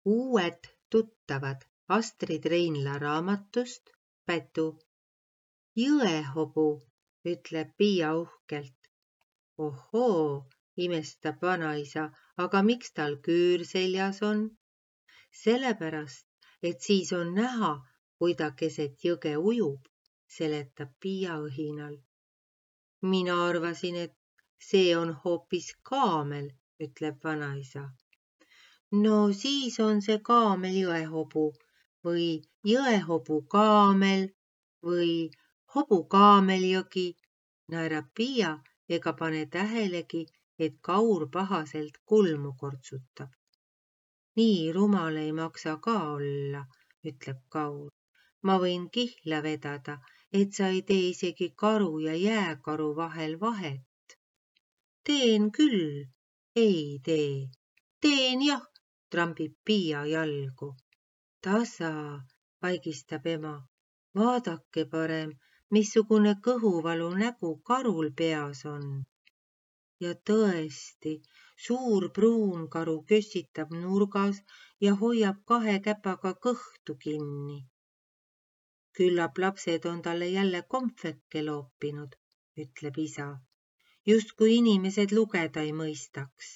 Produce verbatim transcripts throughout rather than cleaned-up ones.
Uued tuttavad Astrid Reinla raamatust Pätu. Jõehobu, ütleb Piia uhkelt. Ohoo, imestab vanaisa, aga miks tal küür seljas on? Sellepärast, et siis on näha, kui ta keset jõge ujub, seletab Piia õhinal. Mina arvasin, et see on hoopis kaamel, ütleb vanaisa. No siis on see kaamel jõehobu või jõehobu kaamel või hobu kaameljõgi, naerab Piia ega pane tähelegi, et Kaur pahaselt kulmu kortsutab. Nii rumal ei maksa ka olla, ütleb Kaur. Ma võin kihla vedada, et sa ei tee isegi karu ja jääkaru vahel vahet. Teen küll, ei tee. Teen jah, trambib Piia jalgu. Tasa, vaigistab ema. Vaadake parem, missugune kõhuvalu nägu karul peas on. Ja tõesti, suur pruun karu kössitab nurgas ja hoiab kahe käpaga kõhtu kinni. Küllap lapsed on talle jälle kompveke loopinud, ütleb isa. Just kui inimesed lugeda ei mõistaks.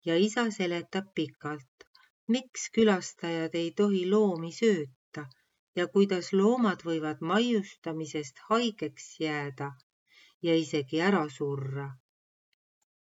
Ja isa seletab pikalt, miks külastajad ei tohi loomi sööta ja kuidas loomad võivad maiustamisest haigeks jääda ja isegi ära surra.